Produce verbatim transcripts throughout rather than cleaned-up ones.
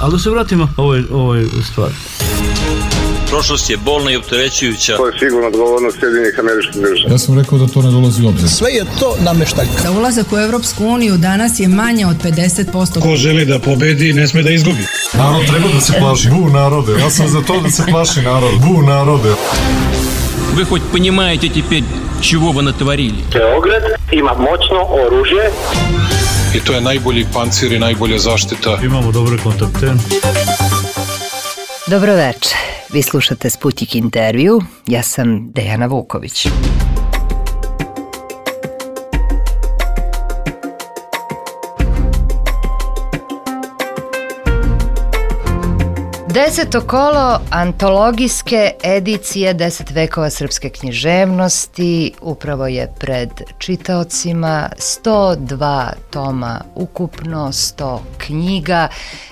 Ali da se vratimo ovoj, ovoj stvari. Prošlost je bolna i opterećujuća. To je sigurno odgovornost Sjedinjenih Američkih Država. Ja sam rekao da to ne dolazi u obzir. Sve je to nameštaljka. Za ulazak u Evropsku uniju danas je manje od pedeset posto. Ko želi da pobedi, ne sme da izgubi. Narod treba da se plaši. Bu narode. Ja sam za to da se plaši narod. Bu narode. Вы хоть понимаете теперь, чего вы натворили? Beograd ima moćno oružje. I to je najbolji pancir i najbolja zaštita. Imamo dobre kontakte. Dobro večer. Vi slušate Sputnik intervju. Ja sam Dejana Vuković. Deseto kolo antologijske edicije Deset vekova srpske književnosti upravo je pred čitaocima. sto dva toma ukupno, sto knjiga.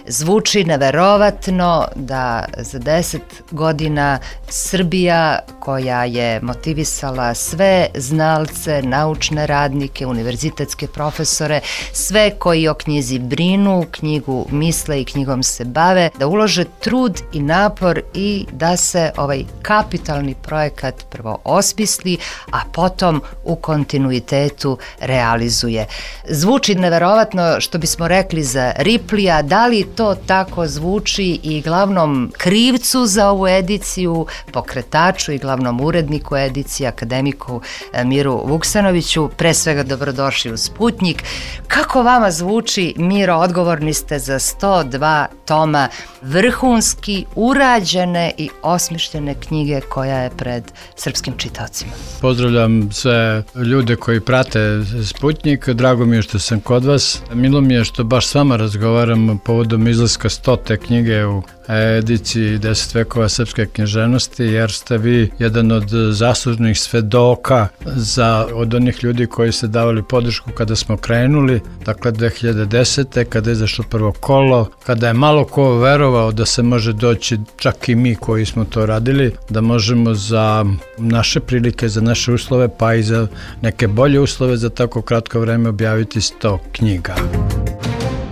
Zvuči neverovatno da za deset godina Srbija, koja je motivisala sve znalce, naučne radnike, univerzitetske profesore, sve koji o knjizi brinu, knjigu misle i knjigom se bave, da ulože trud i napor i da se ovaj kapitalni projekat prvo osmisli, a potom u kontinuitetu realizuje. Zvuči neverovatno, što bismo rekli za Riplija. Da li to tako zvuči i glavnom krivcu za ovu ediciju, pokretaču i glavnom uredniku edicije, akademiku Miru Vuksanoviću? Pre svega dobrodošli u Sputnik. Kako vama zvuči, Miro? Odgovorni ste za sto dva toma vrhunski urađene i osmišljene knjige koja je pred srpskim čitaocima. Pozdravljam sve ljude koji prate Sputnik. Drago mi je što sam kod vas. Milo mi je što baš s vama razgovaram povodom izlaska stote knjige u ediciji Deset vekova srpske književnosti, jer ste vi jedan od zaslužnih svedoka za, od onih ljudi koji ste davali podršku kada smo krenuli, dakle dve hiljade desete. kada je izašlo prvo kolo, kada je malo ko verovao da se može doći, čak i mi koji smo to radili, da možemo za naše prilike, za naše uslove, pa i za neke bolje uslove za tako kratko vreme objaviti sto knjiga.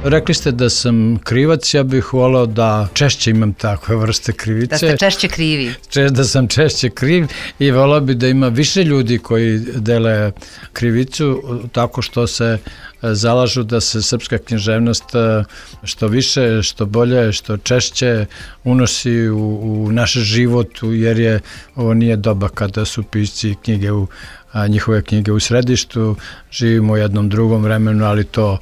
Rekli ste da sam krivac, ja bih volao da češće imam takve vrste krivice. Da ste češće krivi. Da sam češće kriv i volao bi da ima više ljudi koji dele krivicu tako što se zalažu da se srpska književnost što više, što bolje, što češće unosi u, u naš život, jer je ovo nije doba kada su pisci knjige u, a, njihove knjige u središtu. Živimo u jednom drugom vremenu, ali to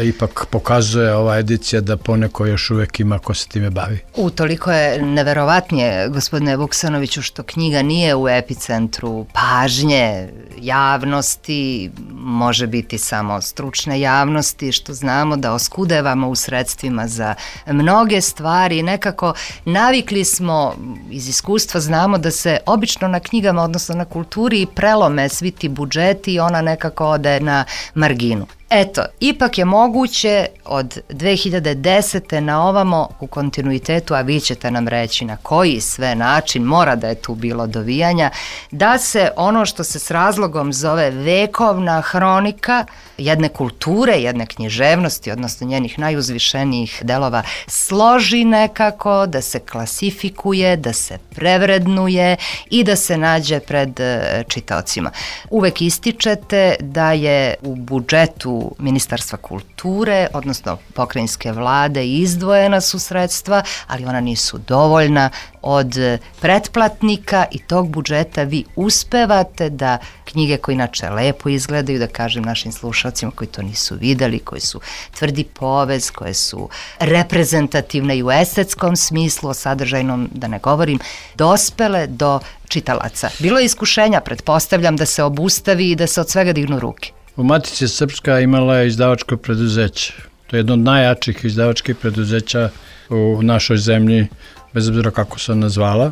ipak pokazuje ova edicija da poneko još uvek ima ko se time bavi. U, toliko je neverovatnije, gospodine Vuksanoviću, što knjiga nije u epicentru pažnje javnosti, može biti samo stručne javnosti, što znamo da oskudevamo u sredstvima za mnoge stvari. Nekako navikli smo, iz iskustva znamo da se obično na knjigama, odnosno na kulturi, prelome svi ti budžeti i ona nekako ode na marginu. Eto, ipak je moguće od dve hiljade desete na ovamo u kontinuitetu, a vi ćete nam reći na koji sve način, mora da je tu bilo dovijanja, da se ono što se s razlogom zove vekovna hronika jedne kulture, jedne književnosti, odnosno njenih najuzvišenijih delova, složi nekako, da se klasifikuje, da se prevrednuje i da se nađe pred čitaocima. Uvek ističete da je u budžetu Ministarstva kulture, odnosno pokrajinske vlade, izdvojena su sredstva, ali ona nisu dovoljna. Od pretplatnika i tog budžeta vi uspevate da knjige koje inače lepo izgledaju, da kažem našim slušalcima koji to nisu videli, koji su tvrdi povez, koje su reprezentativne i u estetskom smislu, o sadržajnom da ne govorim, dospele do čitalaca. Bilo je iskušenja, pretpostavljam, da se obustavi i da se od svega dignu ruke. U Matici Srpska imala je izdavačko preduzeće. To je jedno od najjačih izdavačkih preduzeća u našoj zemlji, bez obzira kako se ona zvala.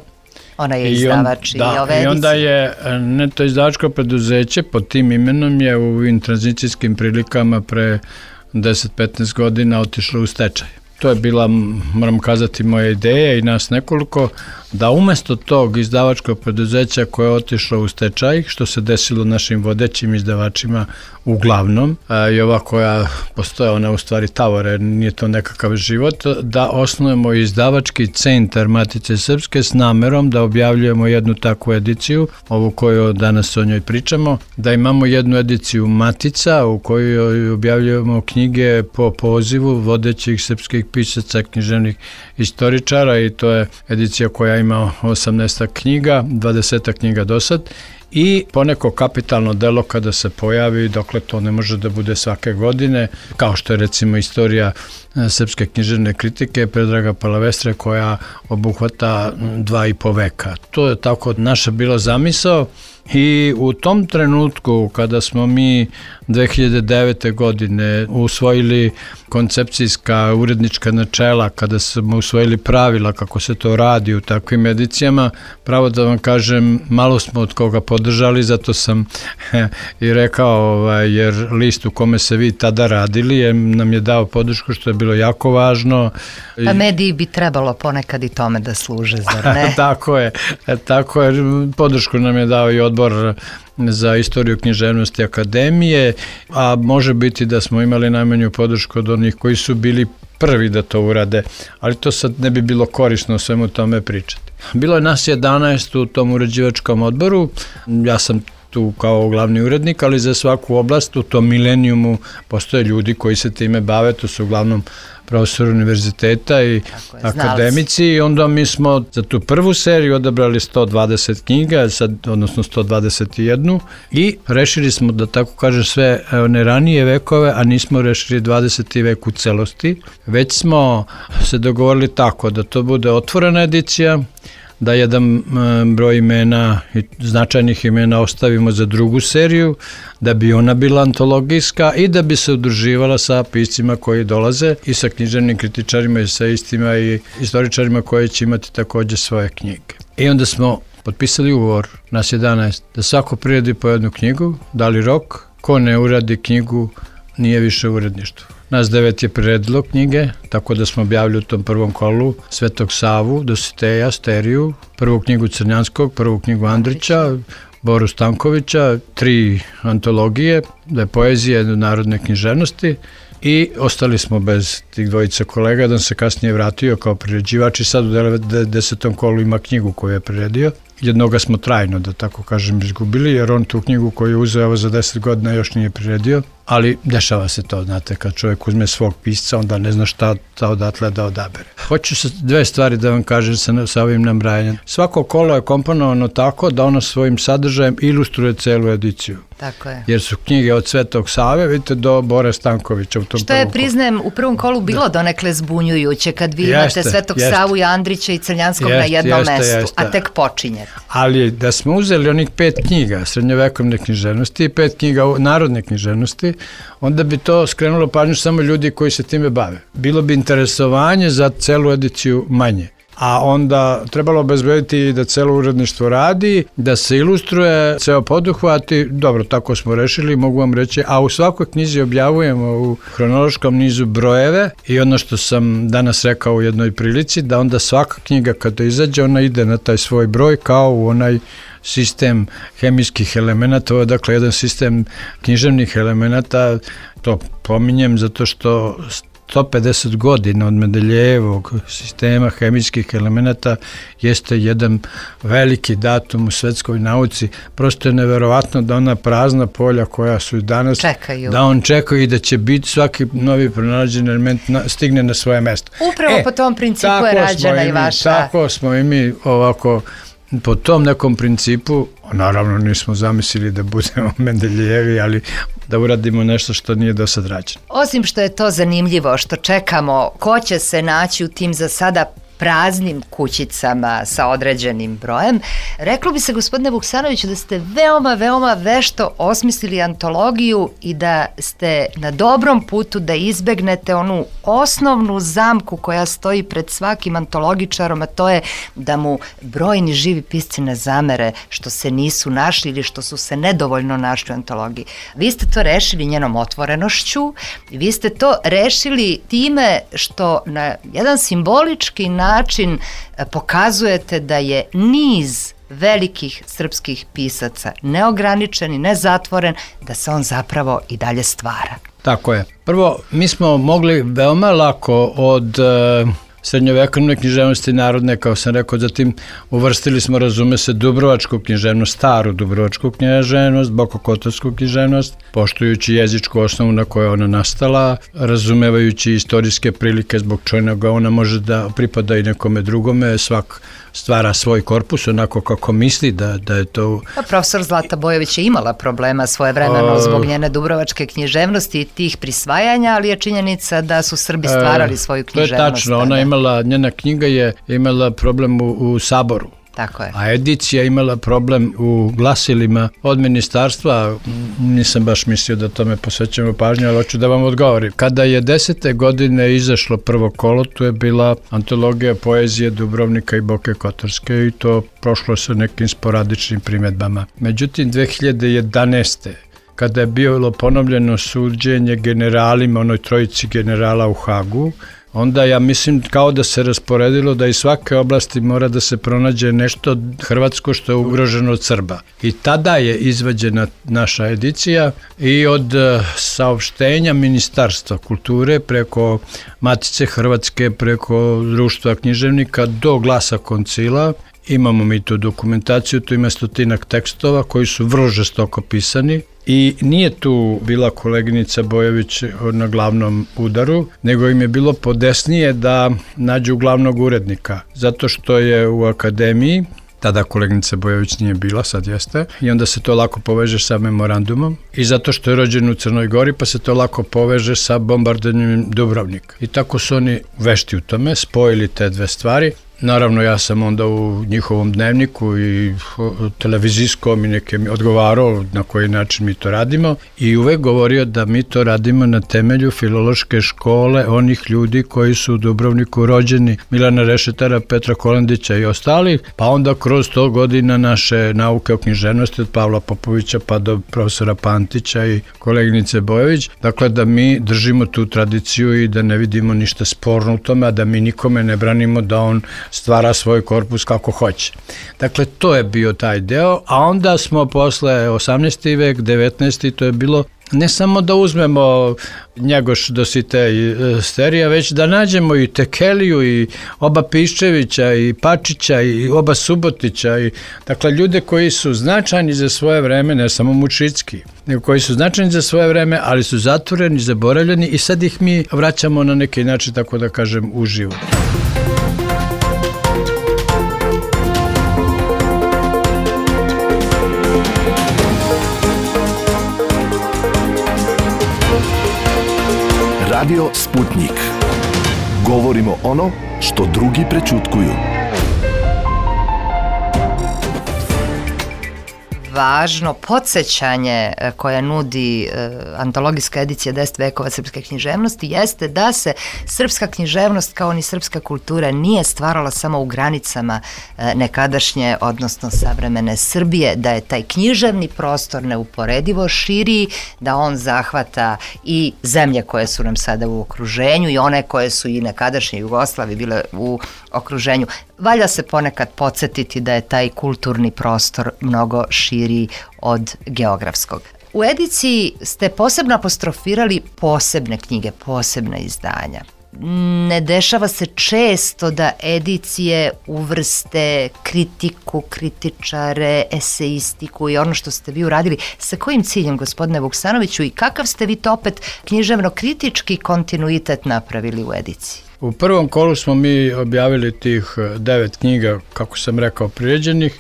Ona je izdavač i, on, i ove edicije. I onda je neto izdavačko preduzeće pod tim imenom je u ovim tranzicijskim prilikama pre deset do petnaest godina otišlo u stečaj. to je bila, moram kazati, moja ideja i nas nekoliko, da umesto tog izdavačkog preduzeća koje je otišlo u stečaj, što se desilo našim vodećim izdavačima uglavnom, i ova koja postoje, ona u stvari tavore, nije to nekakav život, da osnujemo izdavački centar Matice Srpske s namerom da objavljujemo jednu takvu ediciju, ovu koju danas o njoj pričamo, da imamo jednu ediciju Matica u kojoj objavljujemo knjige po pozivu vodećih srpskih pisaca, književnih istoričara, i to je edicija koja ima osamnaest knjiga, dvadeset knjiga do sad, i poneko kapitalno delo kada se pojavi, dokle to ne može da bude svake godine, kao što je recimo istorija srpske književne kritike Predraga Palavestre, koja obuhvata dva i po veka. To je tako naša bila zamisao, i u tom trenutku kada smo mi dve hiljade devete. godine usvojili koncepcijska urednička načela, kada smo usvojili pravila kako se to radi u takvim edicijama, pravo da vam kažem, malo smo od koga podržali, zato sam i rekao, ovaj, jer list u kome se vi tada radili je, nam je dao podršku, što je bilo jako važno. Pa mediji bi trebalo ponekad i tome da služe, zar ne? Tako je, tako je, podršku nam je dao i odbor za istoriju književnosti akademije, a može biti da smo imali najmanju podršku od onih koji su bili prvi da to urade, ali to sad ne bi bilo korisno o svemu tome pričati. Bilo je nas jedanaest u tom uređivačkom odboru, ja sam tu kao glavni urednik, ali za svaku oblast u tom milenijumu postoje ljudi koji se time bave, to su uglavnom profesor univerziteta i akademici, i onda mi smo za tu prvu seriju odabrali sto dvadeset knjiga, sad, odnosno sto dvadeset jedan, i rešili smo, da tako kažem, sve one ranije vekove, a nismo rešili dvadeseti vek u celosti, već smo se dogovorili tako da to bude otvorena edicija, da jedan broj imena, značajnih imena ostavimo za drugu seriju, da bi ona bila antologijska i da bi se udruživala sa piscima koji dolaze i sa književnim kritičarima i sa istima i istoričarima koji će imati takođe svoje knjige. I onda smo potpisali ugovor, nas jedanaest, da svako priredi po jednu knjigu, dali rok, ko ne uradi knjigu nije više u uredništvu. Nas devet je priredilo knjige, tako da smo objavili u tom prvom kolu Svetog Savu, Dositeja, Steriju, prvu knjigu Crnjanskog, prvu knjigu Andrića, Boru Stankovića, tri antologije, da je poezija, jedne narodne književnosti, i ostali smo bez tih dvojica kolega, da se kasnije vratio kao priređivač i sad u desetom kolu ima knjigu koju je priredio. Jednoga smo trajno, da tako kažem, izgubili, jer on tu knjigu koju je uzeo za deset godina još nije priredio, ali dešava se to, znate, kad čovjek uzme svog pisca, onda ne zna šta odatle da odabere. Hoću se dve stvari da vam kažem sa, sa ovim nabrajanjem. Svako kolo je komponovano tako da ono svojim sadržajem ilustruje celu ediciju. Tako je. Jer su knjige od Svetog Save, vidite, do Bore Stankovića u tom što je, priznajem, u prvom kolu bilo donekle zbunjujuće, kad vi imate jeste, Svetog jeste. Savu i Andrića i Crnjanskog jeste, na jednom jeste, mestu, jeste. A tek počinje. Ali da smo uzeli onih pet knjiga srednjovekovne književnosti i pet knjiga narodne književnosti, onda bi to skrenulo pažnju samo ljudi koji se time bave. Bilo bi interesovanje za celu ediciju manje. A onda trebalo obezbediti da celo uredništvo radi, da se ilustruje ceo poduhvat i dobro, tako smo rešili, mogu vam reći, a u svakoj knjizi objavujemo u hronološkom nizu brojeve i ono što sam danas rekao u jednoj prilici, da onda svaka knjiga kada izađe, ona ide na taj svoj broj kao u onaj sistem hemijskih elemenata, ovo je dakle jedan sistem književnih elemenata, to pominjem zato što sto pedeset godina od Mendeljejevog sistema hemijskih elemenata jeste jedan veliki datum u svetskoj nauci. Prosto je neverovatno da ona prazna polja koja su danas, čekaju. Da on čeka i da će biti svaki novi pronađen element na, stigne na svoje mesto. Upravo e, po tom principu je rađena i vaša. Tako smo i mi ovako, po tom nekom principu, naravno nismo zamislili da budemo Mendeljejevi, ali da uradimo nešto što nije do sad rađeno. Osim što je to zanimljivo, što čekamo, ko će se naći u tim za sada praznim kućicama sa određenim brojem. Reklo bi se, gospodine Vuksanoviću, da ste veoma, veoma vešto osmislili antologiju i da ste na dobrom putu da izbegnete onu osnovnu zamku koja stoji pred svakim antologičarom, a to je da mu brojni živi pisci ne zamere što se nisu našli ili što su se nedovoljno našli u antologiji. Vi ste to rešili njenom otvorenošću, vi ste to rešili time što na jedan simbolički način pokazujete da je niz velikih srpskih pisaca neograničen i nezatvoren, da se on zapravo i dalje stvara. Tako je. Prvo, mi smo mogli veoma lako od uh, srednjovekovne književnosti narodne, kao sam rekao, zatim uvrstili smo, razume se, dubrovačku književnost, staru dubrovačku književnost, bokokotorsku književnost, poštujući jezičku osnovu na kojoj ona nastala, razumevajući istorijske prilike zbog čega ona može da pripada i nekome drugome, svak stvara svoj korpus onako kako misli da, da je to... Pa profesor Zlata Bojović je imala problema svojevremeno zbog njene dubrovačke književnosti i tih prisvajanja, ali je činjenica da su Srbi stvarali svoju književnost. To je tačno, ona imala, njena knjiga je imala problem u, u Saboru. Tako je. A edicija imala problem u glasilima od ministarstva, nisam baš mislio da tome posvećamo pažnju, ali hoću da vam odgovorim. Kada je desete godine izašlo prvo kolo, tu je bila antologija poezije Dubrovnika i Boke Kotorske i to prošlo sa nekim sporadičnim primjedbama. Međutim, dve hiljade jedanaeste kada je bilo ponovljeno suđenje generalima, onoj trojici generala u Hagu, onda ja mislim kao da se rasporedilo da iz svake oblasti mora da se pronađe nešto hrvatsko što je ugroženo od Srba. I tada je izvađena naša edicija i od saopštenja Ministarstva kulture preko Matice Hrvatske, preko Društva književnika do Glasa koncila. Imamo mi tu dokumentaciju, tu ima stotinak tekstova koji su vrlo žestoko pisani i nije tu bila koleginica Bojović na glavnom udaru, nego im je bilo podesnije da nađu glavnog urednika, zato što je u akademiji, tada koleginica Bojović nije bila, sad jeste, i onda se to lako poveže sa memorandumom i zato što je rođen u Crnoj Gori, pa se to lako poveže sa bombardovanjem Dubrovnika. I tako su oni vešti u tome, spojili te dve stvari. Naravno, ja sam onda u njihovom dnevniku i televizijskom i nekim odgovarao na koji način mi to radimo i uvek govorio da mi to radimo na temelju filološke škole onih ljudi koji su u Dubrovniku rođeni, Milana Rešetara, Petra Kolandića i ostalih, pa onda kroz sto godina naše nauke o književnosti od Pavla Popovića pa do profesora Pantića i koleginice Bojović, dakle da mi držimo tu tradiciju i da ne vidimo ništa sporno u tome, a da mi nikome ne branimo da on stvara svoj korpus kako hoće. Dakle, to je bio taj deo, a onda smo posle osamnaesti vek, devetnaesti to je bilo ne samo da uzmemo Njegoš Dositej Sterija, već da nađemo i Tekeliju i oba Piščevića i Pačića i oba Subotića i dakle ljude koji su značajni za svoje vreme, ne samo Mučicki, nego koji su značajni za svoje vreme, ali su zatvoreni, zaboravljeni i sad ih mi vraćamo na neki način, tako da kažem, uživo. Radio Sputnik. Govorimo ono što drugi prećutkuju. Važno podsjećanje koje nudi antologijska edicija deset vekova srpske književnosti jeste da se srpska književnost kao ni srpska kultura nije stvarala samo u granicama nekadašnje, odnosno savremene Srbije, da je taj književni prostor neuporedivo širi, da on zahvata i zemlje koje su nam sada u okruženju i one koje su i nekadašnje Jugoslavije bile u okruženju. Valja se ponekad podsjetiti da je taj kulturni prostor mnogo širi od geografskog. U ediciji ste posebno apostrofirali posebne knjige, posebna izdanja. Ne dešava se često da edicije uvrste kritiku, kritičare, eseistiku i ono što ste vi uradili. Sa kojim ciljem, gospodine Vuksanoviću, i kakav ste vi to opet književno-kritički kontinuitet napravili u ediciji? U prvom kolu smo mi objavili tih devet knjiga, kako sam rekao, priređenih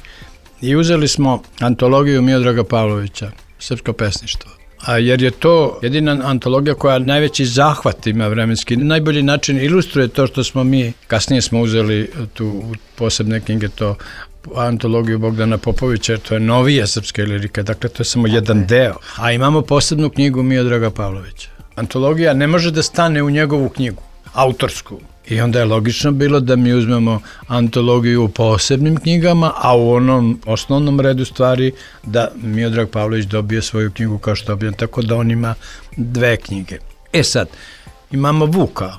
i uzeli smo antologiju Miodraga Pavlovića, Srpsko pesništvo. a jer je to jedina antologija koja najveći zahvat ima vremenski. Najbolji način ilustruje to što smo mi, kasnije smo uzeli tu posebne knjige, to antologiju Bogdana Popovića, jer to je novija srpska lirika, dakle to je samo okay. jedan deo. A imamo posebnu knjigu Miodraga Pavlovića. Antologija ne može da stane u njegovu knjigu, autorsku. I onda je logično bilo da mi uzmemo antologiju u posebnim knjigama, a u onom osnovnom redu stvari da Miodrag Pavlović dobije svoju knjigu kao što dobije, tako da on ima dve knjige. E sad, imamo Vuka,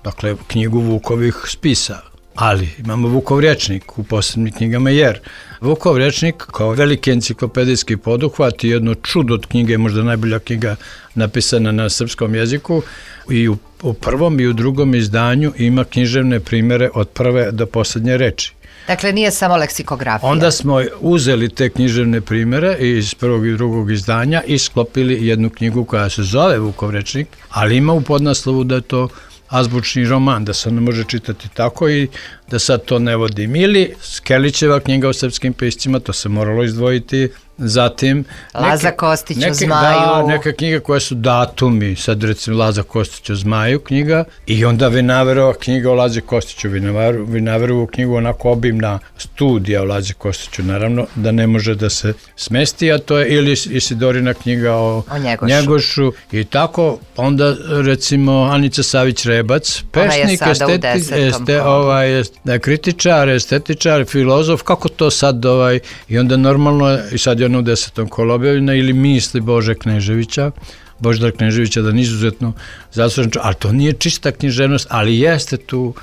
dakle knjigu Vukovih spisa, ali imamo Vukov rječnik u posebnim knjigama, jer Vukov rječnik kao veliki enciklopedijski poduhvat i jedno čudo od knjige, možda najbolja knjiga napisana na srpskom jeziku, i u, u prvom i u drugom izdanju ima književne primere od prve do posljednje reči. Dakle, nije samo leksikografija. Onda smo uzeli te književne primere iz prvog i drugog izdanja i sklopili jednu knjigu koja se zove Vukov rječnik, ali ima u podnaslovu da je to azbučni roman, da se ne može čitati tako i da sad to ne vodim. Ili Skelićeva knjiga o srpskim piscima, to se moralo izdvojiti. Zatim Laza Kostić neke, o Zmaju. Da, neke knjige koje su datumi, sad recimo Laza Kostić o Zmaju knjiga, i onda Vinaverova knjiga o Lazi Kostiću, Vinaver, Vinaverovu knjigu onako obimna studija o Lazi Kostiću, naravno da ne može da se smesti, a to je ili Isidorina knjiga o, o Njegošu. Njegošu i tako, onda recimo Anica Savić-Rebac, pesnik, estetik, este, ovaj, kritičar, estetičar, filozof, kako to sad ovaj, i onda normalno, i sad je ono u desetom kolu objavljena, ili Misli Bože Kneževića, Božidar Kneževića, da je izuzetno zaslužen, ali to nije čista književnost, ali jeste tu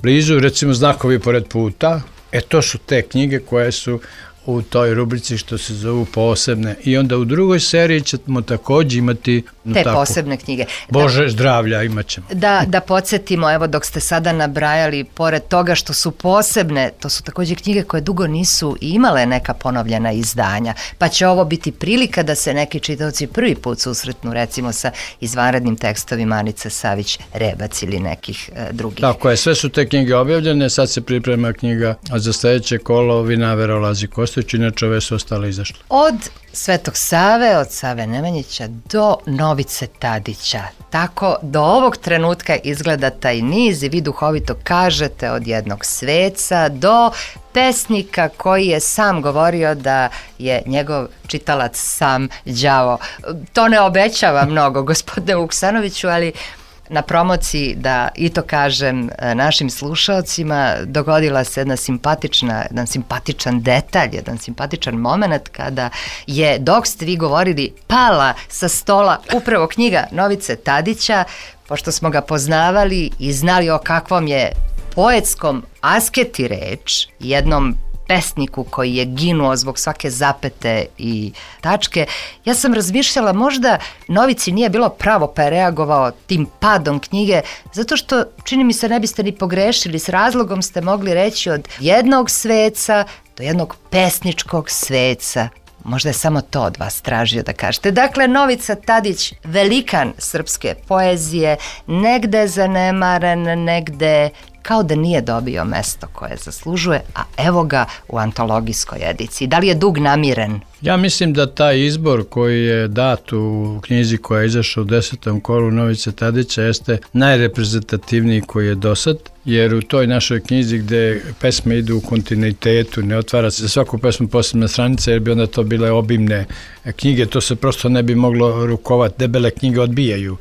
blizu, recimo Znakovi pored puta, e to su te knjige koje su u toj rubrici što se zovu posebne. I onda u drugoj seriji ćemo također imati te tako, posebne knjige. Bože da, zdravlja imat ćemo. Da, da podsjetimo, evo dok ste sada nabrajali, pored toga što su posebne, to su također knjige koje dugo nisu imale neka ponovljena izdanja, pa će ovo biti prilika da se neki čitaoci prvi put susretnu recimo sa izvanrednim tekstovima Anice Savić-Rebac ili nekih e, drugih. Tako je, sve su te knjige objavljene, sad se priprema knjiga, a za sljedeće kolo Vinavera o Lazi Kostić, inače ove su ostale izašle. Od Svetog Save, od Save Nemanjića do Novice Tadića. Tako do ovog trenutka izgleda taj niz i vi duhovito kažete od jednog sveca do pesnika koji je sam govorio da je njegov čitalac sam đavo. To ne obećava mnogo, gospodine Vuksanoviću, ali na promociji, da i to kažem našim slušaocima, dogodila se jedna simpatična, jedan simpatičan detalj, jedan simpatičan moment kada je, dok ste vi govorili, pala sa stola upravo knjiga Novice Tadića, pošto smo ga poznavali i znali o kakvom je poetskom asketi reč, jednom pesniku koji je ginuo zbog svake zapete i tačke. Ja sam razmišljala, možda Novici nije bilo pravo pa je reagovao tim padom knjige, zato što, čini mi se, ne biste ni pogrešili, s razlogom ste mogli reći od jednog sveca do jednog pesničkog sveca. Možda je samo to od vas tražio da kažete. Dakle, Novica Tadić, velikan srpske poezije, negde zanemaren, negde kao da nije dobio mesto koje zaslužuje, a evo ga u antologijskoj ediciji. Da li je dug namiren? Ja mislim da taj izbor koji je dat u knjizi koja je izašla u desetom kolu Novice Tadića jeste najreprezentativniji koji je dosad, jer u toj našoj knjizi gde pesme idu u kontinuitetu, ne otvara se za svaku pesmu posebna stranica, jer bi onda to bile obimne knjige, to se prosto ne bi moglo rukovati, debele knjige odbijaju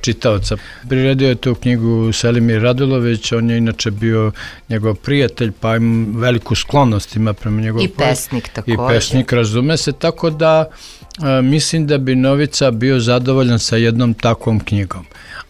čitaoca. Priredio je tu knjigu Selimir Radulović, on je inače bio njegov prijatelj, pa im veliku sklonost ima prema njegovom. I pesnik također. I pesnik, razume se, tako da a, mislim da bi Novica bio zadovoljan sa jednom takvom knjigom.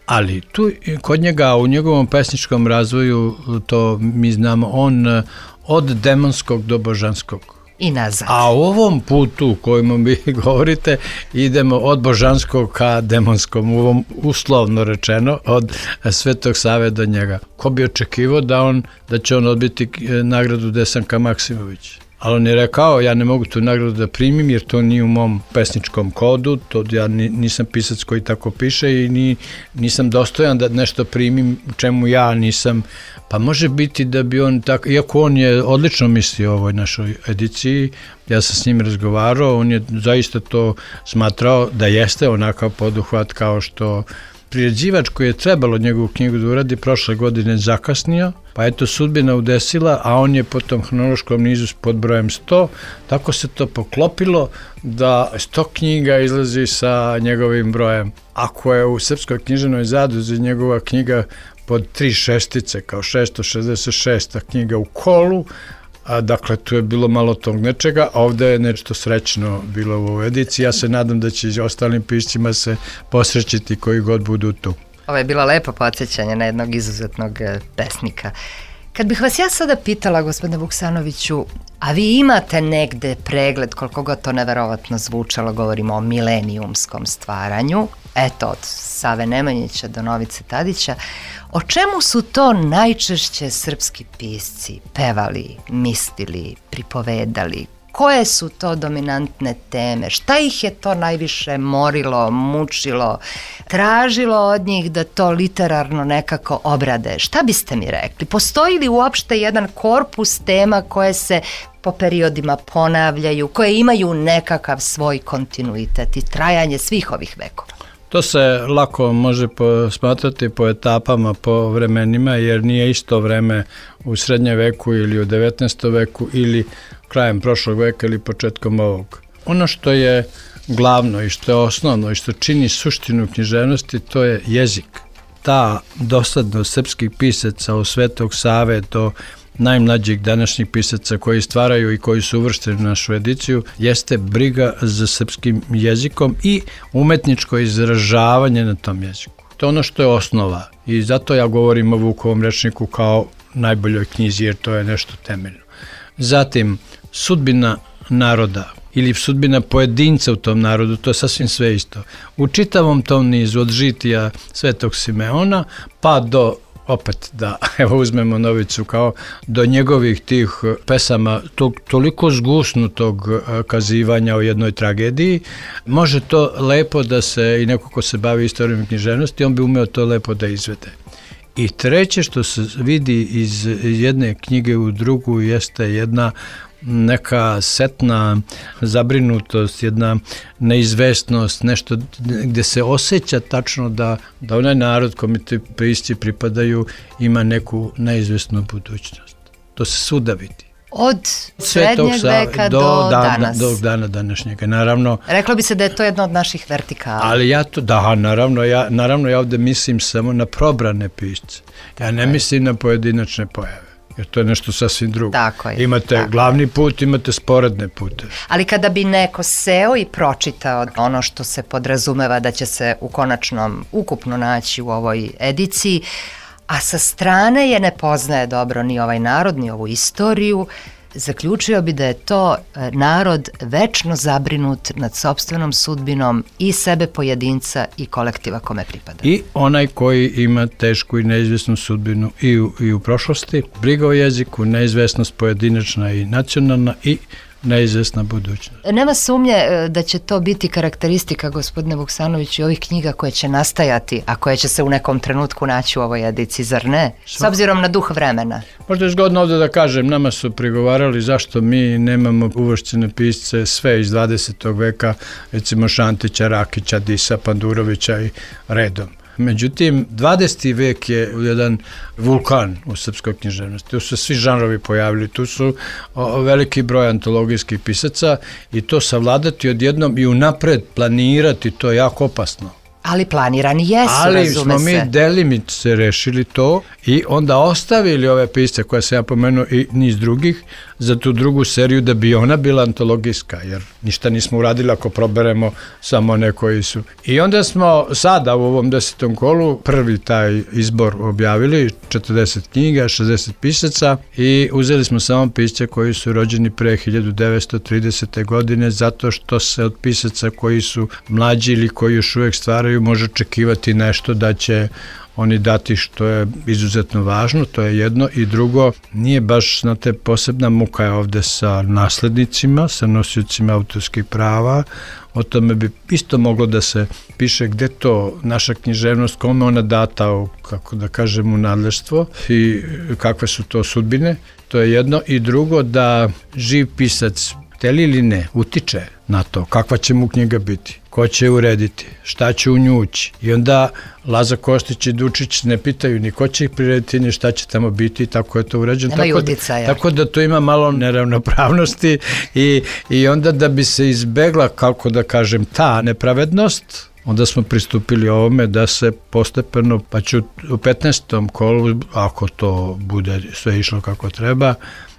Ali tu kod njega, u njegovom pesničkom razvoju, to mi znamo, on od demonskog do božanskog. I nazad. A u ovom putu kojim vi govorite idemo od božanskog ka demonskom, u ovom uslovno rečeno od Svetog Save do njega. Ko bi očekivao da, on, da će on odbiti nagradu Desanka Maksimović? ali on je rekao ja ne mogu tu nagradu da primim jer to nije u mom pesničkom kodu, to ja nisam pisac koji tako piše i ni, nisam dostojan da nešto primim u čemu ja nisam, pa može biti da bi on tako, iako on je odlično mislio o ovoj našoj ediciji, ja sam s njim razgovarao, on je zaista to smatrao da jeste onakav poduhvat kao što priređivač koji je trebalo njegovu knjigu da uradi prošle godine zakasnio, pa je to sudbina udesila, a on je po tom hronološkom nizu pod brojem sto, tako se to poklopilo da sto knjiga izlazi sa njegovim brojem. Ako je u Srpskoj književnoj zadruzi njegova knjiga pod tri šestice, kao šesto šezdeset šesta knjiga u kolu, a dakle tu je bilo malo tog nečega, a ovde je nešto srećno bilo u ovoj ediciji. Ja se nadam da će i ostalim piscima se posrećiti koji god budu tu. Ovo je bilo lepo podsjećanje na jednog izuzetnog pesnika. Kad bih vas ja sada pitala, gospodine Vuksanoviću, a vi imate negde pregled, koliko god to neverovatno zvučalo, govorimo o milenijumskom stvaranju, eto od Save Nemanjića do Novice Tadića, o čemu su to najčešće srpski pisci pevali, mislili, pripovedali? Koje su to dominantne teme? Šta ih je to najviše morilo, mučilo, tražilo od njih da to literarno nekako obrade? Šta biste mi rekli? Postoji li uopšte jedan korpus tema koje se po periodima ponavljaju, koje imaju nekakav svoj kontinuitet i trajanje svih ovih vekova? To se lako može smatrati po etapama, po vremenima, jer nije isto vreme u srednjem veku ili u devetnaestom veku ili krajem prošlog veka ili početkom ovog. Ono što je glavno i što je osnovno i što čini suštinu književnosti, to je jezik. Ta doslednost srpskih pisaca od Svetog Save do najmlađih današnjih pisaca koji stvaraju i koji su uvršteni u našu ediciju jeste briga za srpskim jezikom i umetničko izražavanje na tom jeziku. To je ono što je osnova i zato ja govorim o Vukovom rečniku kao najboljoj knjizi jer to je nešto temeljno. Zatim, sudbina naroda ili sudbina pojedinca u tom narodu, to je sasvim sve isto. U čitavom tom nizu od žitija Svetog Simeona pa do opet da evo uzmemo Novicu kao do njegovih tih pesama tog toliko zgusnutog kazivanja o jednoj tragediji, može to lepo da se i neko ko se bavi istorijom književnosti, on bi umeo to lepo da izvede. I treće što se vidi iz jedne knjige u drugu jeste jedna neka setna zabrinutost, jedna neizvesnost, nešto gde se osjeća tačno da, da onaj narod kome ti pisci pripadaju ima neku neizvesnu budućnost. To se svuda vidi. Od srednjeg veka do, do danas. Do dana današnjega, naravno. Reklo bi se da je to jedno od naših vertikala. Ali ja to, da, naravno, ja, naravno ja ovde mislim samo na probrane pisce. Ja ne mislim na pojedinačne pojave. Jer to je nešto sasvim drugo. Tako je. Imate tako. glavni put, imate sporedne pute. Ali kada bi neko seo i pročitao ono što se podrazumeva da će se u konačnom ukupno naći u ovoj ediciji, a sa strane je ne poznaje dobro ni ovaj narod, ni ovu istoriju, zaključio bi da je to narod večno zabrinut nad sopstvenom sudbinom i sebe pojedinca i kolektiva kome pripada. I onaj koji ima tešku i neizvesnu sudbinu i u, i u prošlosti, briga o jeziku, neizvesnost pojedinačna i nacionalna i neizvesna budućnost. Nema sumnje da će to biti karakteristika, gospodine Vuksanoviću, i ovih knjiga koje će nastajati, a koje će se u nekom trenutku naći u ovoj ediciji, zar ne? S obzirom na duh vremena. Možda je zgodno ovdje da kažem, nama su prigovarali zašto mi nemamo uvršćene pisce sve iz dvadesetog veka, recimo Šantića, Rakića, Disa, Pandurovića i redom. Međutim, dvadeseti vek je jedan vulkan u srpskoj književnosti. Tu su svi žanrovi pojavili, tu su o, veliki broj antologijskih pisaca i to savladati odjednom i unapred planirati, to je jako opasno. Ali planirani jesu, Ali razume se. smo mi delimice rešili to i onda ostavili ove pisce koje sam ja pomenuo i niz drugih za tu drugu seriju da bi ona bila antologijska, jer ništa nismo uradili ako proberemo samo one koji su. I onda smo sada u ovom desetom kolu prvi taj izbor objavili, četrdeset knjiga, šezdeset pisaca i uzeli smo samo pisce koji su rođeni pre hiljadu devetsto tridesete godine zato što se od pisaca koji su mlađi ili koji još uvek stvaraju može očekivati nešto da će oni dati, što je izuzetno važno, to je jedno, i drugo, nije baš, znate, posebna muka je ovde sa naslednicima, sa nosiocima autorskih prava. O tome bi isto moglo da se piše gde to naša književnost, kome ona data u, kako da kažem, u nadleštvo i kakve su to sudbine. To je jedno, i drugo, da živ pisac, hteli ili ne, utiče na to kakva će mu knjiga biti, ko će je urediti, šta će u nju ući. I onda Laza Kostić i Dučić ne pitaju ni ko će ih prirediti, ni šta će tamo biti, tako je to urađeno. Tako da, tako da to ima malo neravnopravnosti i, i onda da bi se izbegla, kako da kažem, ta nepravednost, onda smo pristupili ovome da se postepeno, pa ću u petnaestom kolu, ako to bude sve išlo kako treba,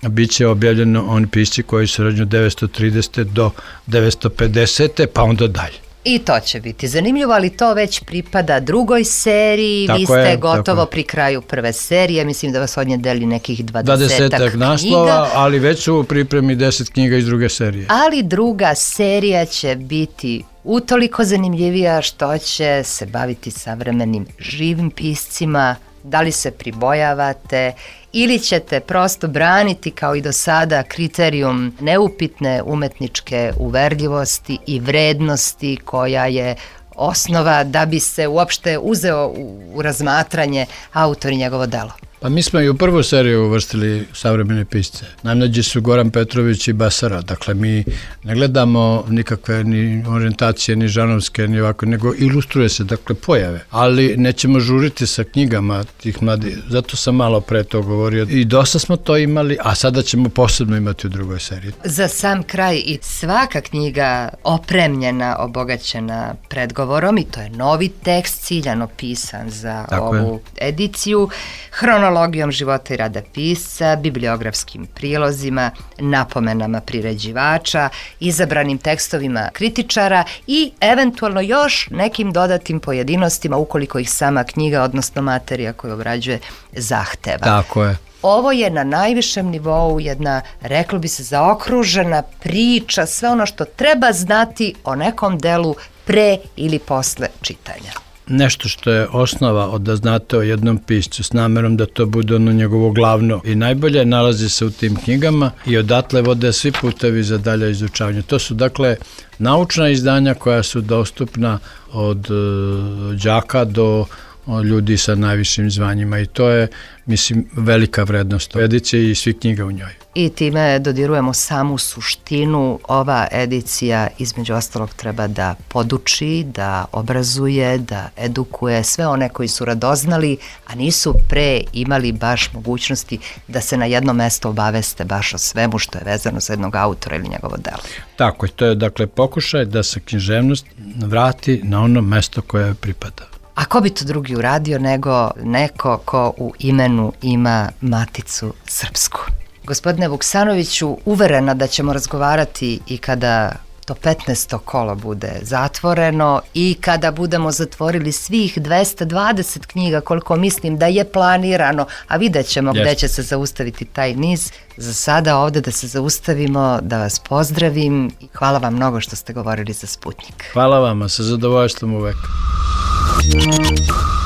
bit će objavljeno oni pisci koji su rođeni od devetsto tridesete do devetsto pedesete pa onda dalje. I to će biti zanimljivo, ali to već pripada drugoj seriji, tako vi ste je, gotovo pri kraju prve serije, mislim da vas od nje deli nekih dvadesetak knjiga. naslova, ali već su u pripremi deset knjiga iz druge serije. Ali druga serija će biti utoliko zanimljivija što će se baviti savremenim živim piscima. Da li se pribojavate ili ćete prosto braniti kao i do sada kriterijum neupitne umetničke uverljivosti i vrednosti koja je osnova da bi se uopšte uzeo u razmatranje autor i njegovo delo? Pa mi smo i u prvu seriju uvrstili savremene pisce. Najmlađi su Goran Petrović i Basara. Dakle, mi ne gledamo nikakve ni orijentacije, ni žanovske, ni ovako, nego ilustruje se, dakle, pojave. Ali nećemo žuriti sa knjigama tih mladih. Zato sam malo pre to govorio. I dosta smo to imali, a sada ćemo posebno imati u drugoj seriji. Za sam kraj, i svaka knjiga opremljena, obogaćena predgovorom, i to je novi tekst ciljano pisan za tako ovu je. ediciju, hronologijom života i rada pisca, bibliografskim prilozima, napomenama priređivača, izabranim tekstovima kritičara i eventualno još nekim dodatim pojedinostima ukoliko ih sama knjiga, odnosno materija koju obrađuje, zahteva. Tako je. Ovo je na najvišem nivou jedna, reklo bi se, zaokružena priča, sve ono što treba znati o nekom delu pre ili posle čitanja. Nešto što je osnova od da znate o jednom piscu s namerom da to bude ono njegovo glavno i najbolje nalazi se u tim knjigama i odatle vode svi putevi za dalje izučavanje. To su dakle naučna izdanja koja su dostupna od uh, đaka do od ljudi sa najvišim zvanjima i to je, mislim, velika vrednost edicije i svih knjiga u njoj. I time dodirujemo samu suštinu. Ova edicija, između ostalog, treba da poduči, da obrazuje, da edukuje sve one koji su radoznali, a nisu pre imali baš mogućnosti da se na jedno mesto obaveste baš o svemu što je vezano za jednog autora ili njegovo delo. Tako je, to je dakle pokušaj da se književnost vrati na ono mesto koje pripada. A ko bi to drugi uradio nego neko ko u imenu ima Maticu srpsku? Gospodine Vuksanoviću, uverena da ćemo razgovarati i kada to petnaesto kolo bude zatvoreno i kada budemo zatvorili svih dvesta dvadeset knjiga koliko mislim da je planirano, a vidjet ćemo yes. gde će se zaustaviti taj niz. Za sada ovde da se zaustavimo, da vas pozdravim i hvala vam mnogo što ste govorili za Sputnik. Hvala vama, sa zadovoljstvom uvek.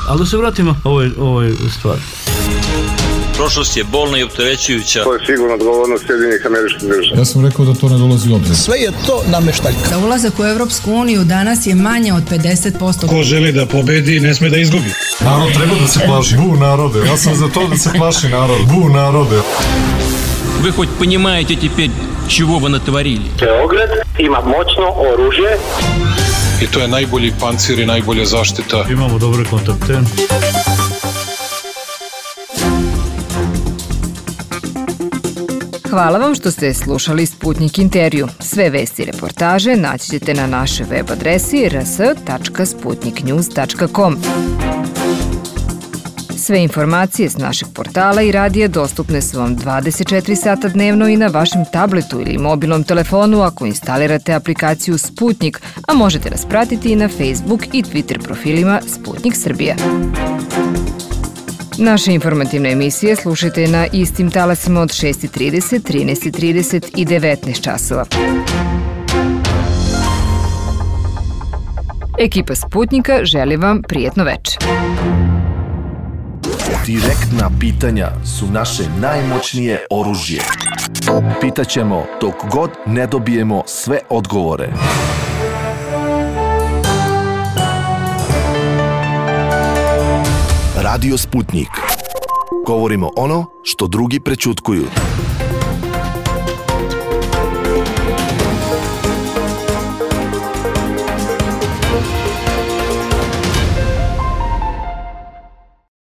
Ali da se vratimo ovoj, ovoj stvari. Prošlost je bolna i opterećujuća. To je sigurno odgovornost Sjedinjenih Američkih Država. Ja sam rekao da to ne dolazi u obzir. Sve je to nameštaljka. Za ulazak u Evropsku uniju danas je manje od pedeset posto. Ko želi da pobedi, ne sme da izgubi. Narod treba da se plaši. Bu narode. Ja sam za to da se plaši narod. Bu narode. Вы хоть понимаете теперь, чего вы натворили? Beograd ima moćno oružje. I to je najbolji pancir i najbolja zaštita. Imamo dobre kontakte. Hvala vam što ste slušali Sputnik intervju. Sve vesti i reportaže naći ćete na našoj web adresi r s tačka sputnik news tačka com. Sve informacije s našeg portala i radija dostupne su vam dvadeset četiri sata dnevno i na vašem tabletu ili mobilnom telefonu ako instalirate aplikaciju Sputnik, a možete nas pratiti i na Facebook i Twitter profilima Sputnik Srbija. Naše informativne emisije slušajte na istim talasima od šest trideset, trinaest trideset i devetnaest časova. Ekipa Sputnika želi vam prijetno veče. Direktna pitanja su naše najmoćnije oružje. Pitaćemo dok god ne dobijemo sve odgovore. Radio Sputnik. Govorimo ono što drugi prećutkuju.